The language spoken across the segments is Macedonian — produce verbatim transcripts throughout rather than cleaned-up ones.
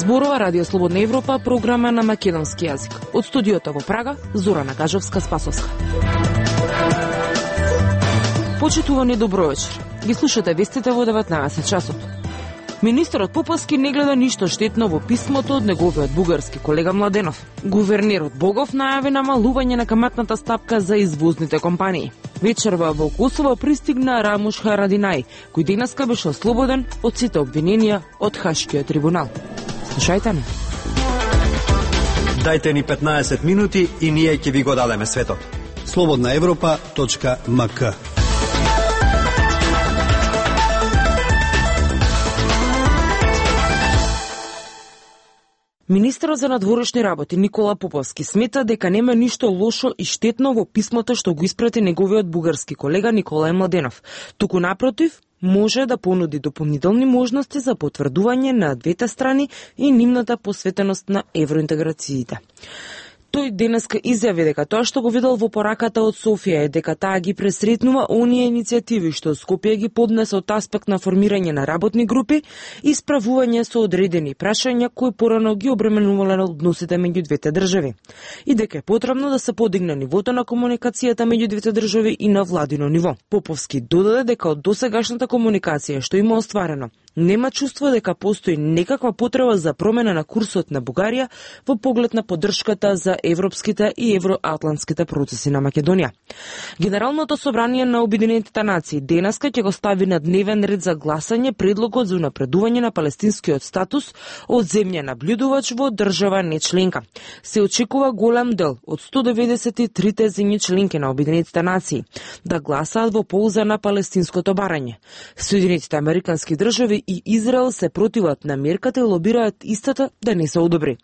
зборува Радио Слободна Европа, програма на македонски јазик. Од студиото во Прага, Зорана Кажовска-Спасовска. Почитувани, добро вечер. Ги слушате вестите во деветнаесет часот. Министерот Поповски не гледа ништо штетно во писмото од неговиот бугарски колега Младенов. Гувернерот Богов најави намалување на каматната стапка за извозните компании. Вечерва во Косово пристигна Рамуш Харадинај, кој денеска беше ослободен од сите обвиненија од Хашкиот трибунал. Слушајте не. Дајте ни петнаесет минути и ние ќе ви го дадеме светот. слободна европа точка ем ка. Министерот за надворешни работи Никола Поповски смета дека нема ништо лошо и штетно во писмото што го испрати неговиот бугарски колега Николај Младенов. Туку напротив, може да понуди дополнителни можности за потврдување на двете страни и нивната посветеност на евроинтеграциите. Тој денеска изјави дека тоа што го видел во пораката од Софија е дека таа ги пресретнува оние иницијативи што Скопје ги поднесе од аспект на формирање на работни групи и справување со одредени прашања кои порано ги обременувале односите меѓу двете држави. И дека е потребно да се подигне нивото на комуникацијата меѓу двете држави и на владино ниво. Поповски додаде дека од досегашната комуникација што има остварено, нема чувство дека постои некаква потреба за промена на курсот на Бугарија во поглед на поддршката за европските и евроатлантските процеси на Македонија. Генералното собрание на Обединетите нации денеска ќе го стави на дневен ред за гласање предлогот за унапредување на палестинскиот статус од земја наблюдувач во држава нечленка. Се очекува голем дел од сто деветдесет и три земји членки на Обединетите нации да гласаат во полза на палестинското барање. Соединетите американски држави и Израел се противат на мерката и лобираат истата да не се одобри.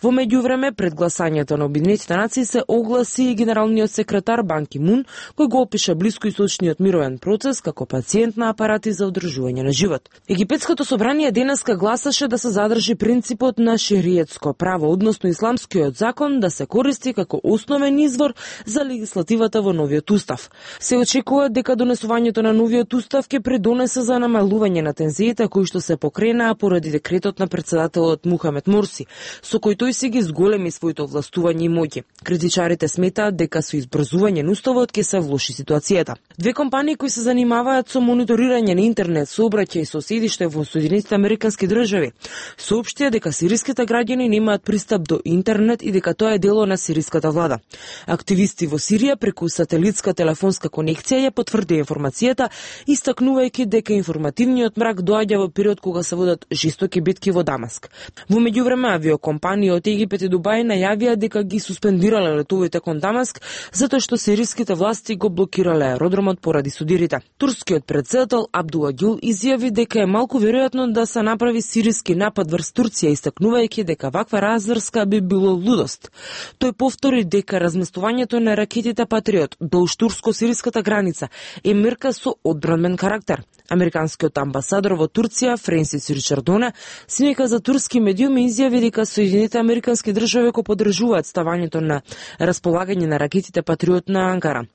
Во меѓувреме, пред гласањето на Обединетите нации се огласи и генералниот секретар Бан Ки Мун, кој го опиша блискоисточниот мировен процес како пациент на апарати за одржување на живот. Египетското собрание денеска гласаше да се задржи принципот на шериетско право, односно исламскиот закон да се користи како основен извор за легислативата во новиот устав. Се очекува дека донесувањето на новиот устав ќе придонесе за намалување на тензиите кои што се покренаа поради декретот на претседателот Мухамед Мурси, со кој тој си ги зголеми своето властување и моќи. Критичарите сметаат дека со избрзување на уставот ќе се влоши ситуацијата. Две компании кои се занимаваат со мониторирање на интернет сообраќај и со седиште во Соединетите американски држави соопштија дека сириските граѓани немаат пристап до интернет и дека тоа е дело на сириската влада. Активисти во Сирија преку сателитска телефонска конекција ја потврдија информацијата, истакнувајќи дека информативниот мрак доаѓа во период кога се водат жестоки битки во Дамаск. Во меѓувреме авиокомпании од Египет и Дубај најавија дека ги суспендирале летовите кон Дамаск затоа што сириските власти го блокирале аеродромот поради судирите. Турскиот претседател Абдула Гюл изјави дека е малку веројатно да се направи сириски напад врз Турција, истакнувајќи дека ваква разврска би било лудост. Тој повтори дека разместувањето на ракетите Патриот долж турско-сириската граница е мерка со одбранбен карактер. Американскиот амбасадор во Турција, Френсис Ричардоне, синека за турски медиуми изјави дека Соединетите американски држави го поддржуваат ставањето на располагање на ракетите Патриот на Анкара.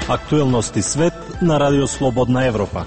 Актуелности свет на Радио Слободна Европа.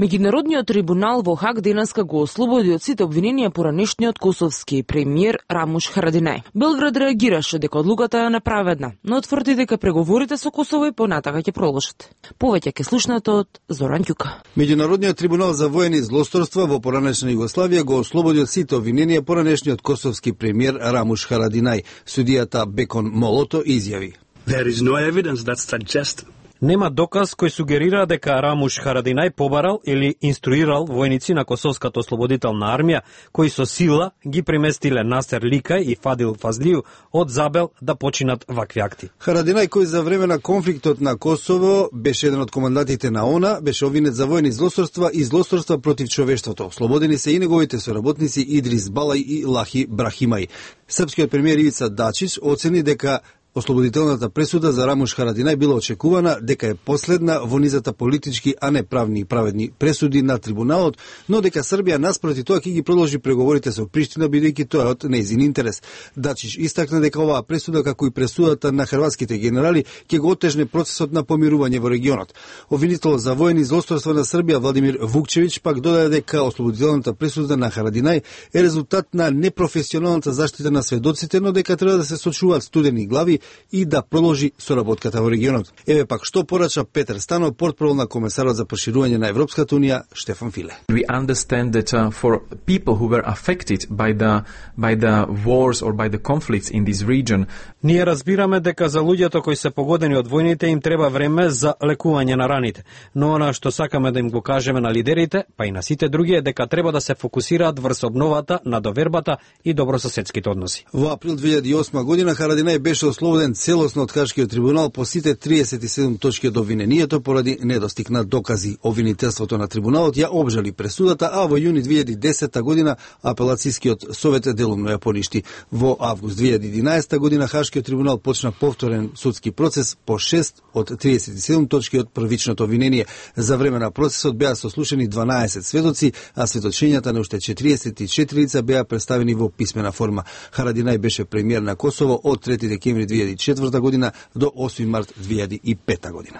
Меѓународниот трибунал во Хаг денеска го ослободи од сите обвиненија поранешниот косовски премиер Рамуш Харадинај. Белград реагираше дека одлуката е неправедна, но тврди дека преговорите со Косово и понатака ќе продолжат. Повеќе ќе слушнете од Зоран Ѓука. Меѓународниот трибунал за воени злосторства во поранешна Југославија го ослободи од сите обвиненија поранешниот косовски премиер Рамуш Харадинај. Судијата Бекон Молото изјави: There is no evidence that suggests Нема доказ кој сугерира дека Рамуш Харадинај побарал или инструирал војници на Косовската ослободителна армија, кои со сила ги преместиле Насер Ликај и Фадил Фазлију од Забел да починат вакви акти. Харадинај, кој за време на конфликтот на Косово беше еден од командантите на ОНА, беше обвинет за војни злосторства и злосторства против човештвото. Ослободени се и неговите соработници Идрис Балај и Лахи Брахимај. Српскиот премиер Ивица Дачич оцени дека Ослободителната пресуда за Рамуш Харадинај била очекувана дека е последна во низата политички, а не правни и праведни пресуди на трибуналот, но дека Србија наспроти тоа ќе ги продолжи преговорите со Приштина бидејќи тоа е од нејзин интерес. Дачич истакна дека оваа пресуда, како и пресудата на хрватските генерали, ќе го отежне процесот на помирување во регионот. Обвинител за воени злосторства на Србија Владимир Вукчевиќ пак додаде дека ослободителната пресуда на Харадинај е резултат на непрофесионалната заштита на сведоците, но дека треба да се сочуваат студени глави и да продолжи соработката во регионот. Еве пак што порача Петер Станов, портпарол на комесарот за проширување на Европската унија Штефан Филе. We understand that uh, for people who were affected by the by the wars or by the conflicts in this region. Ние разбираме дека за луѓето кои се погодени од војните им треба време за лекување на раните, но она што сакаме да им го кажеме на лидерите, па и на сите други е дека треба да се фокусираат врз обновата на довербата и добрососедските односи. Во април две илјади и осма година Харадинај беше ослободен целосно од Хашкиот трибунал по сите триесет и седум точки од обвинението поради недостиг на докази. Обвинителството на трибуналот ја обжали пресудата, а во јуни две илјади и десета година апелацискиот совет делумно ја поништи. Во август две илјади и единаесета година Хашкиот трибунал почна повторен судски процес по шест од триесет и седум точки од првичното обвинение. За време на процесот беа сослушани дванаесет сведоци, а сведочењата на уште четириесет и четири лица беа представени во писмена форма. Харадинај беше премиер на Косово од трети декември две илјади и четврта година до осми март две илјади и пета година.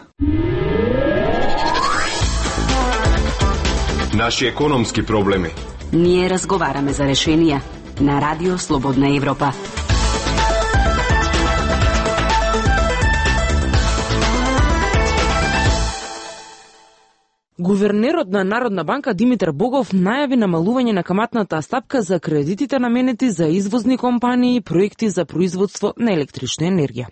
Наши економски проблеми. Ние разговараме за решенија на Радио Слободна Европа. Гувернерот на Народна банка Димитар Богов најави намалување на каматната стапка за кредитите наменети за извозни компании и проекти за производство на електрична енергија.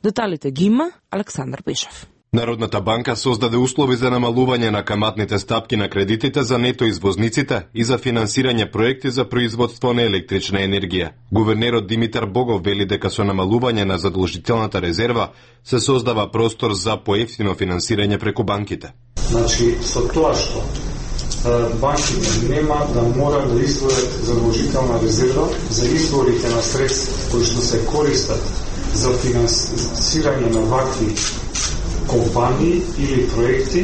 Деталите ги има Александар Пешев. Народната банка создаде услови за намалување на каматните стапки на кредитите за нето извозниците и за финансирање проекти за производство на електрична енергија. Гувернерот Димитар Богов вели дека со намалување на задолжителната резерва се создава простор за поевтино финансирање преку банките. Значи, со тоа што банките нема да мора да издвојат задолжителна резерва за изворите на средства кои што се користат за финансирање на вакви компании или проекти,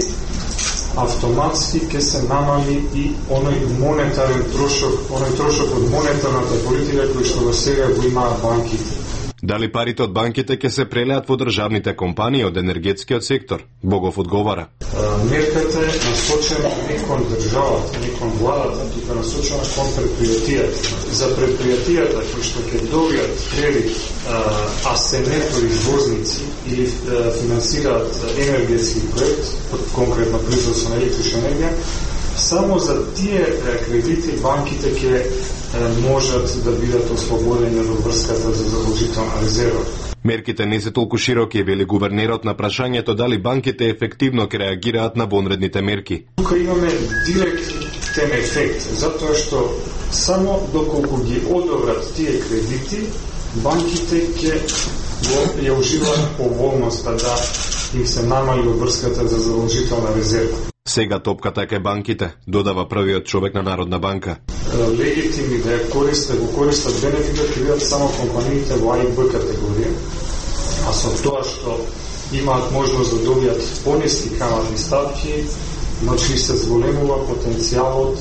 автоматски ќе се намали и оној монетарен трошок, оној трошок од монетарната политика кој што до сега го имаат банките. Дали парите од банките ќе се прелеат во државните компании од енергетскиот сектор? Богов одговара. Мерката е насочена не кон државата, не кон владата, тука насочена кон предпријатијата. За предпријатијата кои што ќе добијат кредит, а се нето извозници или финансираат енергетски проект, конкретно производство на електрична енергија, само за тие кредити банките ќе можат да бидат ослободени од врската за задолжителна резерва. Мерките не се толку широки, вели гувернерот на прашањето дали банките ефективно ќе реагираат на вонредните мерки. Тука имаме директен ефект, затоа што само доколку ги одобрат тие кредити, банките ќе ја уживаат поволноста да им се намали врската за задолжителна резерва. Сега топката е кај банките, додава првиот човек на Народна банка. Легитимни да ја користат, го користат бенефитот ќе бидат само компаниите во А и Б категорија, а со тоа што имаат можност да добијат пониски каматни ставки, значи се зголемува потенцијалот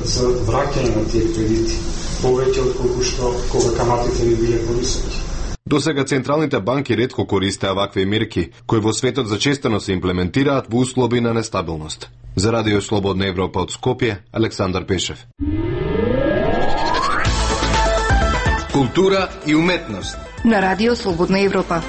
за враќање на тие кредити, повеќе од колку што кога каматите би биле повисоки. До сега централните банки ретко користеа вакви мерки, кои во светот зачестено се имплементираат во услови на нестабилност. За Радио Слободна Европа од Скопје, Александар Пешев. Култура и уметност на Радио Слободна Европа.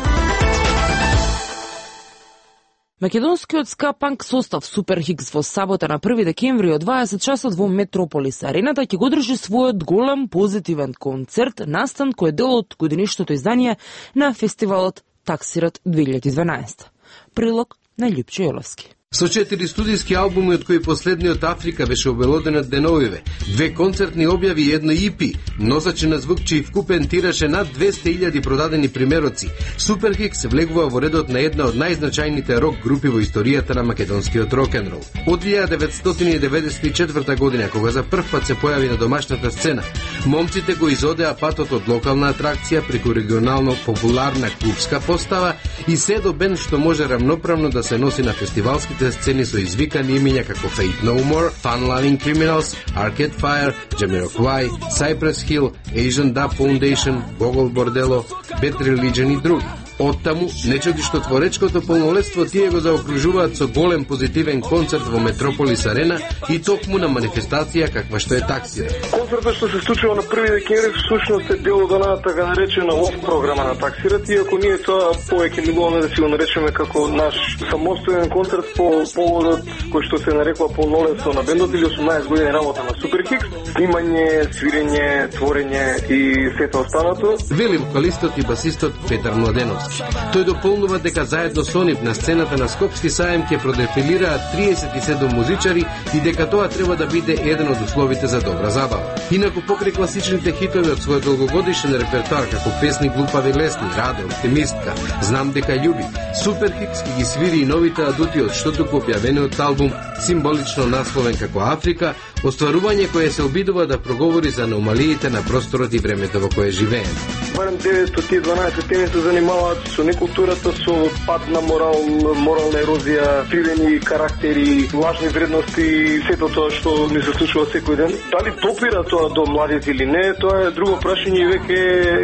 Македонскиот ска-панк состав Супер Хикс во сабота на први декември од дваесет часот во Метрополис Арената ќе го држи својот голем позитивен концерт, настан кој е дел од годинишното издание на фестивалот Таксират две илјади и дванаесета. Прилог на Љупчо Јоловски. Со четири студиски албуми, од кои последниот Африка беше обелоден од деновиве, две концертни објави и едно И Пи, носачи на звук чиј вкупен тираш е над двесте илјади продадени примероци, Суперхикс влегува во редот на една од најзначајните рок групи во историјата на македонскиот рок-н-рол. Од илјада деветстотини и деветдесет и четврта година, кога за прв пат се појави на домашната сцена, момците го изодеа патот од локална атракција преку регионално популарна клубска постава и се до бенд што може рамноправно да се носи на фестивалските сцени со извикани имиња како Faith No More, Fun Loving Criminals, Arcade Fire, Jamiroquai, Cypress Hill, Asian Dub Foundation, Gogol Bordello, Bad Religion и други. Оттаму, не чуди што творечкото полнолетство тие го заокружуваат со голем позитивен концерт во Метрополис Арена и токму на манифестација каква што е Таксира. Концертот што се случува на први декември всушност е дел од онаја така наречена лов програма на Таксира, иако ние тоа повеќе милуваме да си го наречеме како наш самостоен концерт по поводот кој што се нарекува полнолетство на бендот или осумнаесет години работа на Суперхикс, снимање, свирење, творење и сето останато. Вели вокалистот и басистот Петар Младеновски. Тој дополнува дека заедно со нив на сцената на Скопски саем ќе продефилираат триесет и седум музичари и дека тоа треба да биде еден од условите за добра забава. Инаку покрај класичните хитови од својот долгогодишен репертоар како песни Глупави лесни, Раде, Оптимистка, Знам дека љуби, Суперхикс ги свири и новите адути од што туку објавениот албум, символично насловен како Африка, остварување кое се обидува да проговори за аномалиите на просторот и времето во кое живееме. Барем девет од тие дванаесет теми се занимаваат со некултурата, со пад на морал, морална ерозија, кривени карактери, лажни вредности и сето тоа што ни се случува секој ден. Дали допира тоа до младите или не, тоа е друго прашање и веќе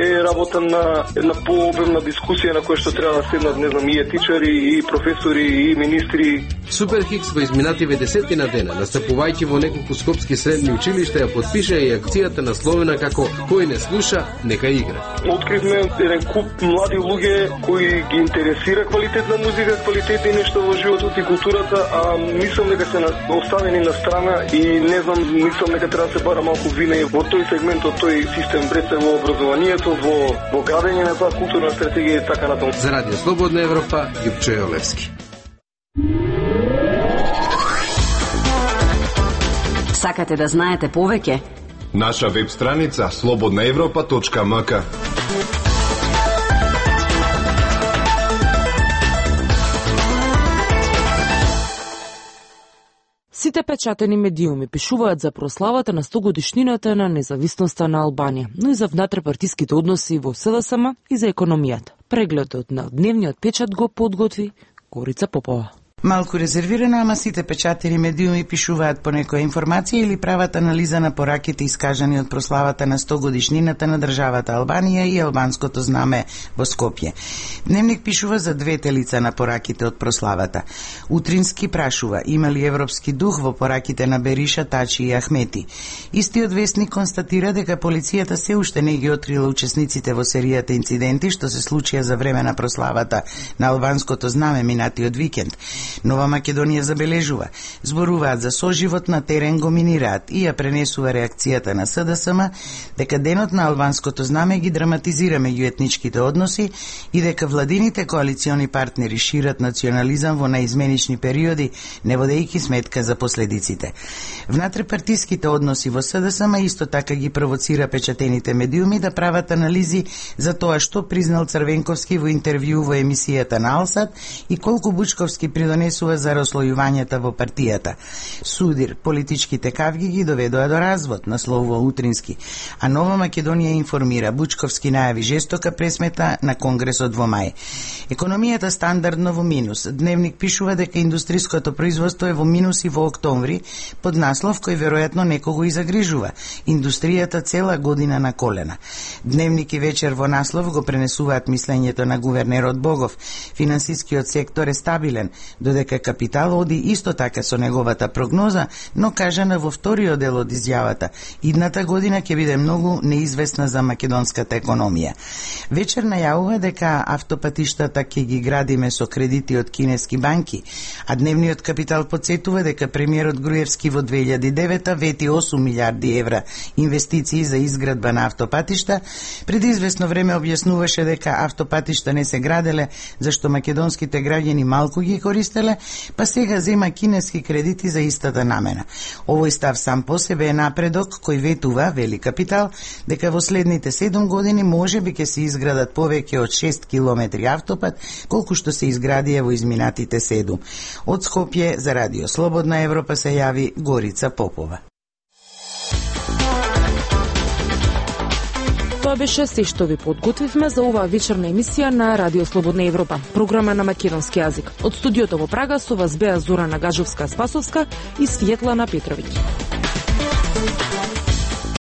е работа на една пообемна дискусија на која што треба да седнат, не знам, и етичари, и професори, и министри. Суперхикс во изминативе десетина дена, настапувајќи во неколку скопски средни училишта, ја подпиша и акцијата насловена како Кој не слуша, нека игра. Откривме еден куп млади луѓе кои ги интересира квалитетна музика, квалитетни нешта во животот и културата, а мислам дека се оставени на страна и не знам, мислам дека треба да се бара малку вина и во тој сегмент, од тој систем бреце во образованието, во, во градење на таа културна стратегија и така натаму. За Радио Слободна Европа, Јупчо Јолевски. Сакате да знаете повеќе? Наша веб страница слободна европа точка ем ка. Сите печатени медиуми пишуваат за прославата на сто годишнината на независноста на Албанија, но и за внатрепартиските односи во С Д С М и за економијата. Прегледот на дневниот печат го подготви Горица Попова. Малку резервирано, ама сите печатени медиуми пишуваат по некоја информација или прават анализа на пораките искажани од прославата на сто годишнината на државата Албанија и албанското знаме во Скопје. Дневник пишува за двете лица на пораките од прославата. Утрински прашува, има ли европски дух во пораките на Бериша, Тачи и Ахмети. Истиот вестник констатира дека полицијата се уште не ги открила учесниците во серијата инциденти што се случија за време на прославата на албанското знаме минатиот викенд. Нова Македонија забележува, зборуваат за соживот на терен, го минираат и ја пренесува реакцијата на С Д С М дека денот на албанското знаме ги драматизира меѓуетничките односи и дека владините коалициони партнери шират национализам во наизменични периоди, не водејќи сметка за последиците. Внатрепартиските односи во С Д С М исто така ги провоцира печатените медиуми да прават анализи за тоа што признал Црвенковски во интервју во емисијата на Алсат и колку Бучковски придонесува за раслојувањата во партијата. Судир, политичките кавги ги доведоа до развод, насловува Утрински, а Нова Македонија информира, Бучковски најави жестока пресмета на Конгресот во мај. Економијата стандардно во минус. Дневник пишува дека индустриското производство е во минус и во октомври, под наслов кој веројатно некого и загрижува. Индустријата цела година на колена. Дневник и вечер во наслов го пренесуваат мислењето на гувернерот Богов. Финансискиот сектор е стабилен, додека капитал оди исто така со неговата прогноза, но кажана во вториот дел од изјавата, идната година ќе биде многу неизвестна за македонската економија. Вечер најавува дека автопатиштата ќе ги градиме со кредити од кинески банки, а дневниот капитал подсетува дека премиерот Груевски во две илјади и девета вети осум милиарди евра инвестиции за изградба на автопатишта. Пред известно време објаснуваше дека автопатишта не се граделе зашто македонските граѓани малку ги користеле користеле, па сега зема кинески кредити за истата намена. Овој став сам по себе е напредок кој ветува, вели Капитал, дека во следните седум години може би ќе се изградат повеќе од шест километри автопат, колку што се изградија во изминатите седум. Од Скопје за Радио Слободна Европа се јави Горица Попова. Тоа беше се што ви подготвивме за оваа вечерна емисија на Радио Слободна Европа, програма на македонски јазик. Од студиото во Прага со вас беа Зорана Гажовска-Спасовска и Светлана Петровиќ.